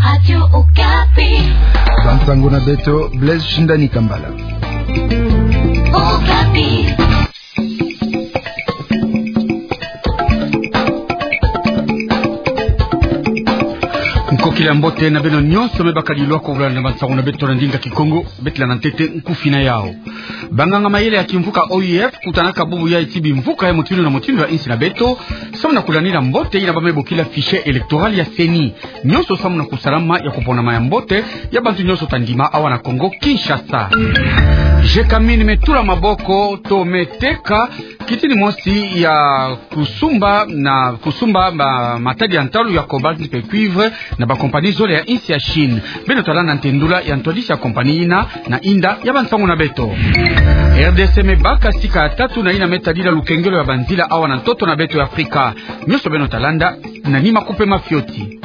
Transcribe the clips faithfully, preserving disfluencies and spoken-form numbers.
Radio Okapi. Bansango na beto, Blaise Shindani Kambala. Okapi. Nkokila mbote na beno nyonso me bakadi lwako kulanda bansango na beto na ndinga Kikongo, beto landa ntete nkufi na yau. Banganga mayele ya kimvuka O I F kutanaka bubu yai ti bimvuka ya mutindu na mutindu ya insi na beto, samu na kulandila mbote yina ba me bokila fichier électoral ya CENI. Nyonso samu na kusalama ya kuponama ya mbote ya bantu nyonso ta ndima awa na Kongo Kinshasa. Jekamin me tula maboko to me teka kitini mosi ya kusumba na kusumba ba matadi ya ntalu ya cobalt mpe cuivre na ba compagnie zole ya insi ya Chine. Beno ta landa ntendula ya ntwadisi ya compagnie yina na inda ya bansango na beto. R D C me baka sika ya tatu na yina me tadila lukengelo ya banzila awa na ntoto na beto ya Afrika. Nyonso beno ta landa na nima kupema fioti.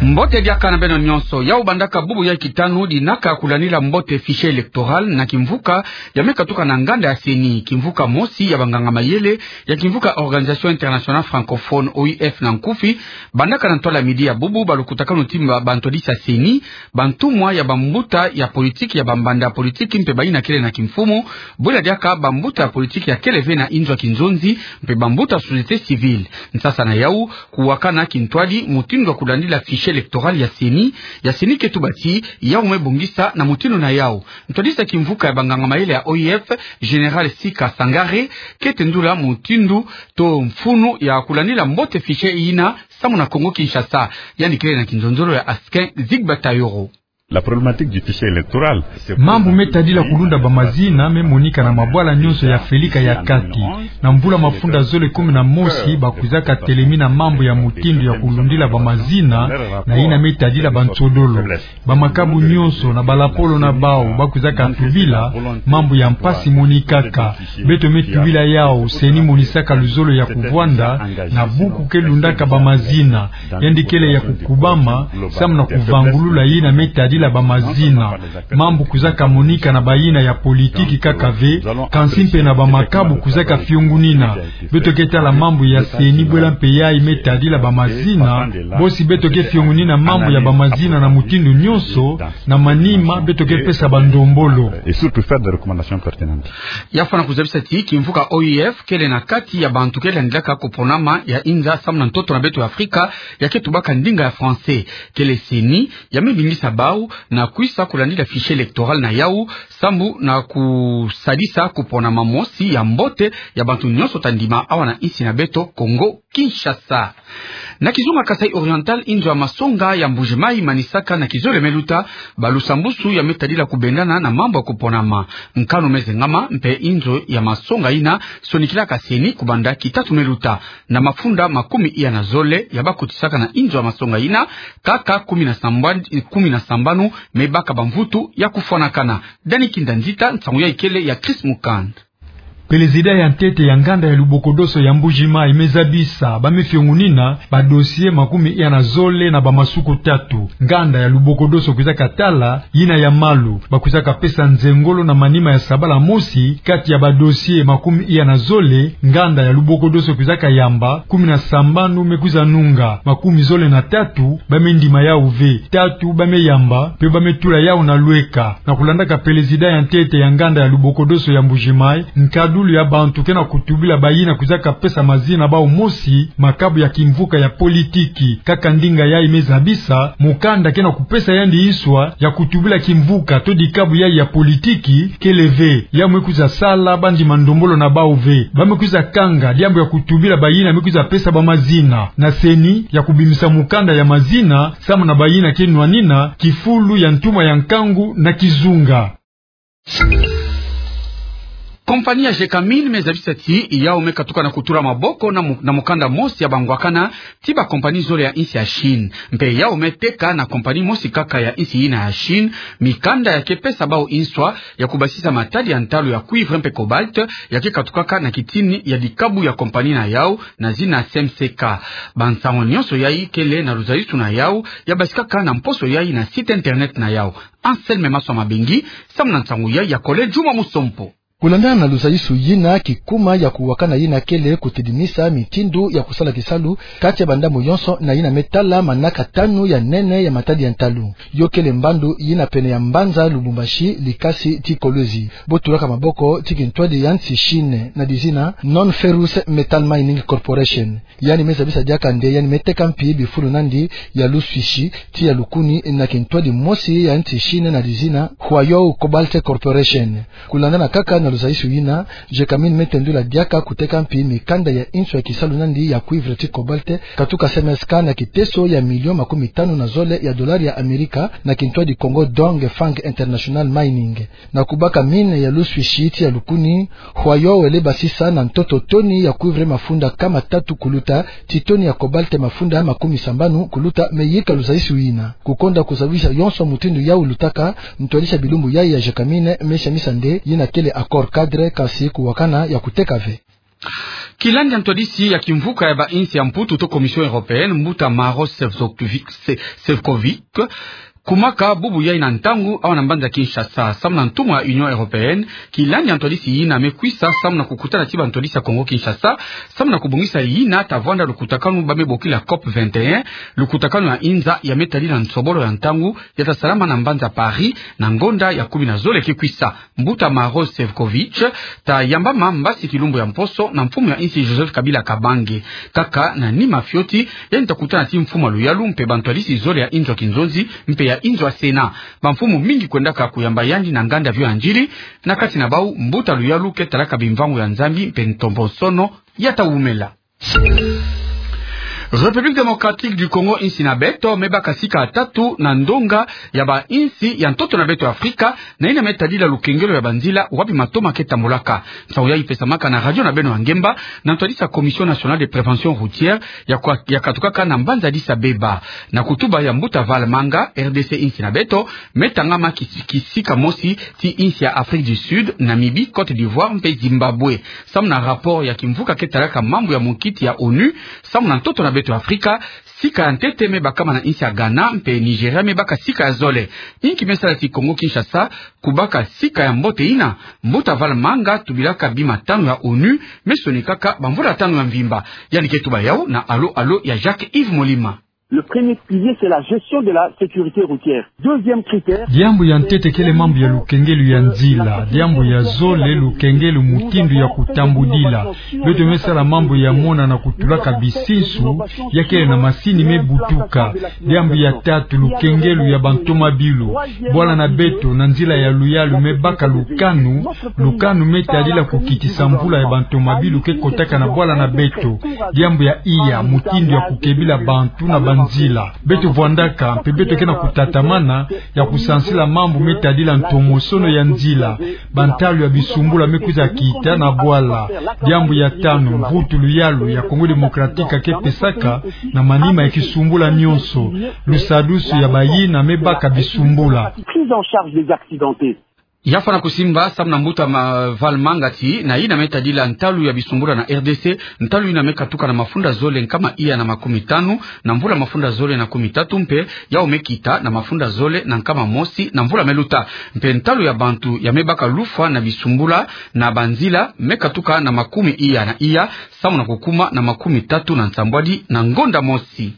Mbote diaka na beno nyonso. Yau bandaka bubu ya kitanu dinaka kulandila mbote fichier électoral na kimvuka ya me katuka na nganda ya CENI, kimvuka mosi ya banganga mayele ya kimvuka Organisation Internationale Francophone, O I F na nkufi. Bandaka na ntwala midi ya bubu, balukutakanu ti ba, bantwadisi ya CENI, bantumwa ya bambuta ya politiki, ya bambanda ya politiki mpe bayina kele na kimfumu, bwela diaka bambuta ya politiki ya kele ve na inzo ya kinzonzi mpe bambuta ya société civile. Nsasa na yau, kuwakana kintwadi mutindu ya kulandila fichier électoral ya CENI, ya CENI ke tuba ti yau me bongisa na mutindu na yau. Ntwadisi ya kimvuka ya banganga mayele ya O I F, Général Sika Sangare, ke tendula mutindu to mfunu ya kulandila mbote fichier yina samu na Kongo Kinshasa. Yandi kele na kinzonzolo ya Askin Zigba Tayoro. La problématique du fichier électoral, c'est... Mambu me tadila kulunda bamazina me monika na mabwala nyonso ya Afelika ya kati. Na mvula mafunda zole kumi na mosi, bakwizaka telemina mambu ya mutindu ya kulundila bamazina na yina me tadila bansodolo. Bamakabu nyonso na balapolo na bau bakwizaka tubila mambu ya mpasi monikaka. Beto me tubila yau, CENI monisaka luzolo ya kuvwanda na buku ke lundaka bamazina. Yandi kele ya kukubama samu na kuvangulula yina me tadila bamazina. Mambu kwizaka monika na bayina ya politiki kaka ve, kansi mpe na bamakabu kwizaka fiongunina. Beto ke tala mambu ya CENI bwela mpe yai me tadila bamazina. Bosi beto ke fiongunina mambu ya bamazina na mutindu nyonso, na manima beto ke pesa bandombolo. Et surtout faire des recommandations pertinentes. Ya fwana kuzabisa ti kimvuka O I F kele na kati ya bantu ke landilaka kuponama ya inza samu na ntoto na beto ya Afrika, ya ke tubaka ndinga ya français. Kele CENI ya me bingisa bau na kwisa kulandila fichier électoral na yau, samu na kusadisa kuponama mosi ya mbote ya bantu nyonso ta ndima awa na insi na beto Kongo Kinshasa. Na kizunga Kasaï Oriental, inzo ya masonga ya Mbuji-Mayi manisaka na kizole me luta balusambusu ya me tadila kubendana na mambu ya kuponama. Nkanu me zengama mpe inzo ya masonga yina sonikilaka CENI kubanda kitatu me luta. Na mafunda makumi iya na zole ya bakutisaka na inzo ya masonga yina, kaka kumi na sambanu, kumi na sambanu me baka bamvutu ya kufwanakana. Dani Kinda Nzita, nsangu yai kele ya Chris Mukand. Pelezida ya ntete ya nganda ya lubokodoso ya Mbuji-Mayi me zabisa ba me fiongunina ba dossier makumi iya na zole na bamasuku tatu. Nganda ya lubokodoso kwizaka tala yina ya malu. Bakwizaka pesa nzengolo na manima ya sabala mosi, kati ya ba dossier makumi iya na zole nganda ya lubokodoso kwizaka yamba, kumi na sambanu me kwiza nunga, makumi zole na tatu ba me ndima yau ve, tatu ba me yamba, mpe ba me tula yau na lweka. Na kulandaka pelezida ya ntete ya nganda ya lubokodoso ya Mbuji-Mayi, nkadulu ya bantu ke na kutubila bayina kwizaka pesa mazina bau mosi makabu ya kimvuka ya politiki. Kaka ndinga yai me zabisa, mukanda ke na kupesa yandi nswa ya kutubila kimvuka to dikabu yai ya politiki kele ve. Yau me kwiza sala ba ndima ndombolo na bau ve. Ba me kwiza kanga diambu ya kutubila bayina me kwiza pesa bamazina na CENI ya kubimisa mukanda ya mazina samu na bayina ke nwanina kifulu ya ntumwa ya nkangu na kizunga. Kompani ya Gécamines me zabisa ti yau me katuka na kutula maboko na mu-, na mukanda mosi ya bangwakana ti ba kompani zole ya insi ya Chine. Mpe yau me teka na kompani mosi kaka ya insi yina ya Chine mikanda ya ke pesa bau nswa ya kubasisa matadi ya ntalu ya cuivre mpe cobalt ya ke katukaka na kitini ya dikabu ya kompani na yau na zina C M C K. Bansangu nyonso yai kele na luzalisu na yau, ya basikaka na mposo yai na site internet na yau. Anselme Maswa Mabengi, samu na nsangu yai ya Kole Juma Musompo. Kulandana na luzayisu yina, kikuma ya kuwakana yina kele kutedimisa mitindu ya kusala kisalu kati ya bandambu yonso na yina me tala manaka tanu ya nene ya matadi ya ntalu. Yo kele mbandu yina pene ya mbanza Lubumbashi, Likasi ti Kolwezi, bo tulaka maboko ti kintwadi ya nsi Chine na dizina Non-Ferrous Metal Mining Corporation. Yandi me zabisa diaka nde yandi me teka mpi bifulu nandi ya luswishi ti ya lukuni na kintwadi mosi ya nsi Chine na dizina Huayou Cobalt Corporation. Kulandana kaka na luzayisu yina, Gécamines me tendula diaka kuteka mpi mikanda ya inso ya kisalu nandi ya cuivre ti cobalt, katuka C M S K na kiteso ya million makumi tanu na zole ya dolari ya Amerika na kintwadi Congo Dongfang International Mining. Na kubaka mine ya luswishi ti ya lukuni, Huayou wele basisa na ntoto toni ya cuivre mafunda kama tatu kuluta, ti toni ya cobalt mafunda makumi sambanu kuluta, me yika luzayisu yina. Kukonda kuzabisa yonso mutindu yau lutaka, ntwadisi ya bilumbu yayi ya Gécamines me samisa nde yina kele accord cadre, kasi kuwakana ya kuteka ve. Kilandi ya ntwadisi ya kimvuka ya ba insi ya Mputu to Commission Européenne, mbuta Maros Sefcovic, Se-, Sefcovic, kumaka bubu yayi na ntangu awa na mbanza Kinshasa, samu na ntumwa ya Union Européenne. Kilandi ya ntwadisi yina me kwisa samu na kukutana ti ba ntwadisi ya Congo Kinshasa, samu na kubongisa yina ta vwanda lukutakanu ba me bokila COP vingt et un, lukutakanu ya inza ya me tadila nsobolo ya ntangu ya ta salama na mbanza Paris, na ngonda ya kumi na zole ke kwisa. Mbuta Maros Sefcovic ta yambama mbasi kilumbu ya mposo na mfumu ya insi Joseph Kabila Kabange. Kaka na nima fioti, yandi ta kutana ti mfumu ya luyalu mpe ba ntwadisi zole ya inzo ya kinzonzi mpe ya inzo ya Sénat. Ba mfumu mingi kwendaka kuyamba yandi na nganda vio ya ndiri, na kati na bau mbuta luyalu ke talaka bimvangu ya Nzambi mpe ntombosono ya ta wumela. République Démocratique du Congo, insi na beto, me baka sika ya tatu na ndonga ya ba insi ya ntoto na beto Afrika, na yina me tadila lukengelo ya banzila wapi matoma ke tambulaka. Nsangu yayi pesamaka na radio na beno ya ngemba, na ntwadisi ya Commission Nationale de Prévention Routière ya kwa-, ya katukaka na mbanza Addis Abeba. Na kutuba ya mbuta Valmanga, R D C insi na beto, me tangama ki-, kisika mosi ti insi ya Afrique du Sud, Namibie, Côte d'Ivoire mpe Zimbabwe. Samu na rapport ya kimvuka ke talaka mambu ya munkiti ya onu, samu na ntoto na beto Afrika, sika ya ntete me bakama na insi ya Ghana mpe Nigeria me baka sika ya zole. Inki me sala ti Congo Kinshasa kubaka sika ya mbote yina? Mbuta Valmanga tubilaka bima tanu ya onu me sonikaka bamvula tanu ya mvimba. Yandi ke tuba yau na allô allô ya Jacques Yves Molima. Le premier pilier, c'est la gestion de la sécurité routière. Deuxième critère, diambu ya ntete kele mambu ya lukengelo ya nzila. Diambu ya zole, lukengelo mutindu ya kutambudila. Beto me sala mambu ya mona na kutulaka bisinsu, ya kele na masini me butuka. Diambu ya tatu, lukengelo ya bantomabilu. Bwala na beto na nzila ya luyalu me baka lukanu, lukanu me tadila kukitisa mvula ya bantomabilu ke kotaka na bwala na beto. Diambu ya iya, mutindu ya kukebila bantu na banzila. Beto vwandaka, mpe beto ke na kutatamana ya kusansila mambu me tadila ntomosono ya nzila. Bantalu ya bisumbula me kwiza kita na bwala. Diambu ya tanu, mvutu luyalu ya Congo Démocratique ke pesaka na manima ya kisumbula nyonso. Lusadusu ya bayina me baka bisumbula. Prise en charge des accidentés. Ya fwana kusimba samu na mbuta ma-, Valmanga ti, na yina me tadila ntalu ya bisumbula na R D C, ntalu yina me katuka na mafunda zole nkama iya na makumi tanu, na mvula mafunda zole na kumi tatu mpe, yau me kita na mafunda zole na nkama mosi na mvula me luta. Mpe ntalu ya bantu ya me baka lufwa na bisumbula na banzila me katuka na makumi iya na iya, samu na kukuma na makumi tatu na nsambwadi na ngonda mosi.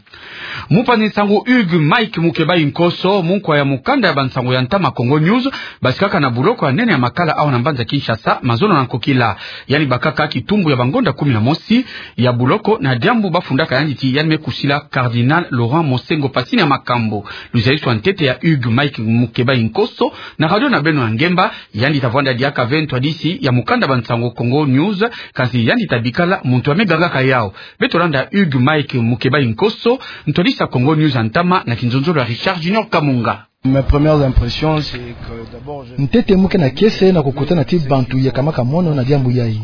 Mupanzi nsangu Hugues Mike Mukebayi Nkoso, munkwa ya mukanda ya bansangu ya ntama Congo News, basikaka na buloko ya nene ya Makala awa na mbanza Kinshasa, mazono na nkokila. Yandi bakaka kitumbu ya bangonda kumi na mosi ya buloko na diambu bafundaka yandi ti yandi me kusila Cardinal Laurent Monsengwo Passy na makambu. Luzayisu ya ntete ya Hugues Mike Mukebayi Nkoso na radio na beno ya ngemba, yandi ta vwanda diaka ve ntwadisi ya mukanda bansangu Congo News, kansi yandi ta bikala muntu ya me gangaka yau. Beto landa Hugues Mike Mukebayi Nkoso, ntwadisi ya Congo News ya ntama na kinzonzolo ya Richard Junior Kamunga. Mes premières impressions, c'est que d'abord, je... Ntete mu ke na kiese na kukutana ti bantu ya kamaka mono na diambu yayi.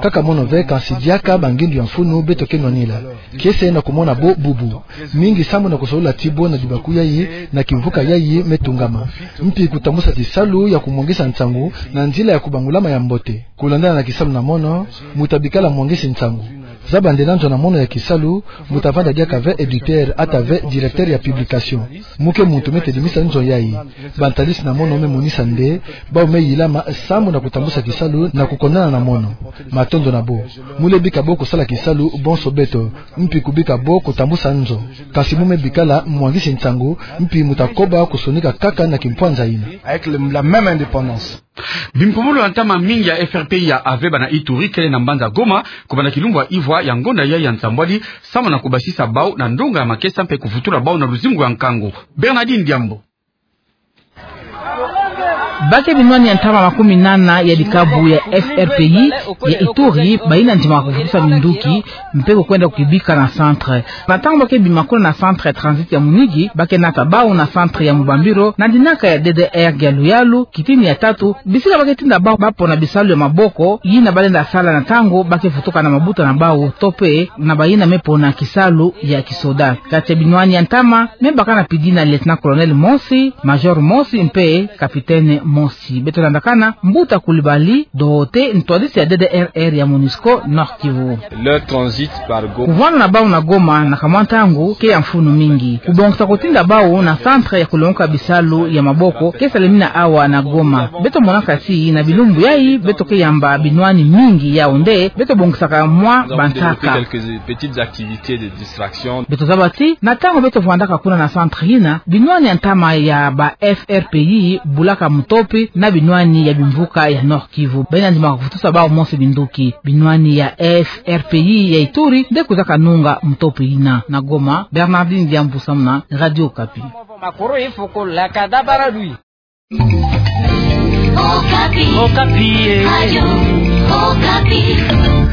Kaka mono ve, kansi diaka bangindu ya mfunu beto ke nwanila. Kiese na kumona bo bubu. Mingi sambu na kusolula ti bo na dibaku yayi, na kimvuka yayi me tungama. Mpi kutambusa tisalu ya kumwangisa nsangu na nzila ya kubangulama ya mbote. Kulandana na kisalu na mono, mu ta bikala mwangisi nsangu. Zaba nde na nzo na mono ya kisalu, mbo ta vanda diaka ve éditeur ata ve directeur ya publication. Muke muntu me tedimisa nzo yayi. Bantalisi na mono me monisa nde, bau me yilama sambu na kutambusa kisalu na kukondana na mono. Matondo na bo. Mu le bika bo kusala kisalu bonso beto, mpi kubika bo kutambusa nzo. Kasi mu me bikala mwangisi nsangu, mpi mu ta koba kusonika kaka na kimpwanza yina. Avec le, la même indépendance. Bimpumulu ya ntama mingi ya F R P I ya AVEBA na Ituri kele na mbanza Goma, kubanda kilumbu ya ivwa ya ngonda yayi ya nsambwadi, sambu na kubasisa bau na ndonga ya makesa mpe kuvutula bau na luzingu ya nkangu. Bernardine Diambo. Bake binwani ya ntama makumi nana ya dikabu ya F R P I ya Ituri, bayina ndima kuvutusa minduki, mpe kukwenda kukibika na centre. Na ntangu bake bimakula na centre ya transit ya Munigi, bake nata bau na centre ya Mubambiro, na dinaka ya D D R Gialuyalu, kitini ya tatu, bisika bake tinda bau bapona bisalu ya maboko, yina balenda sala na ntangu bake vutuka na mabuta na bau, to mpe na bayina me pona kisalu ya kisoda. Kati ya binwani ya ntama, me baka na pidi na lieutenant-colonel mosi, major mosi, mpe capitaine mosi. Beto landakana Mbuta Coulibaly, dohote ntwadisi ya D D R R ya MONUSCO Nord-Kivu. Leur transit par Go- Kuvwanda na bau na Goma na kamwa ntangu ke ya mfunu mingi. Kubongisa kutinda bau na centre ya kulongoka bisalu ya maboko ke salemina awa na Goma. Beto monaka ti na bilumbu yayi, beto ke yamba binwani mingi yau nde beto bongisaka mwa bantaka. Beto zaba ti, na ntangu beto vwandaka kuna na centre yina, binwani ya ntama ya ba F R P I bulaka mutopi na binwani ya bimvuka ya Nord-Kivu. Bayina ndima kuvutusa bau mosi binduki. Binwani ya F R P I ya Ituri nde kuzaka nunga mutopi yina. Na Goma, Bernardine Diambu samuna Radio Okapi. Okapi. Okapi, eh. Radio Okapi.